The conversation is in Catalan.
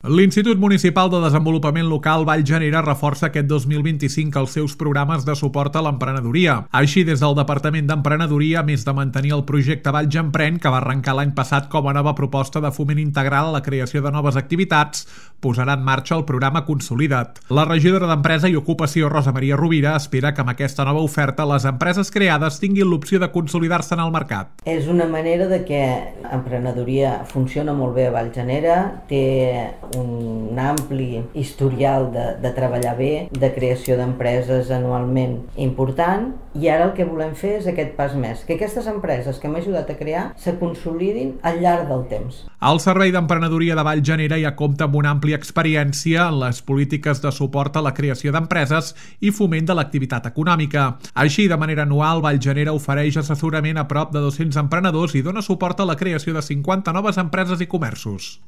L'Institut Municipal de Desenvolupament Local Valljanera reforça aquest 2025 els seus programes de suport a l'emprenedoria. Així, des del Departament d'Emprenedoria, a més de mantenir el projecte Valljanprèn, que va arrencar l'any passat com a nova proposta de foment integral a la creació de noves activitats, posarà en marxa el programa Consolida't. La regidora d'Empresa i Ocupació, Rosa Maria Rovira, espera que amb aquesta nova oferta les empreses creades tinguin l'opció de consolidar-se en el mercat. És una manera de que l'emprenedoria funciona molt bé a Valljanera, té un ampli historial de treballar bé, de creació d'empreses anualment important, i ara el que volem fer és aquest pas més, que aquestes empreses que hem ajudat a crear se consolidin al llarg del temps. El Servei d'Emprenedoria de Valljanera ja compta amb una àmplia experiència en les polítiques de suport a la creació d'empreses i foment de l'activitat econòmica. Així, de manera anual, Valljanera ofereix assessorament a prop de 200 emprenedors i dona suport a la creació de 50 noves empreses i comerços.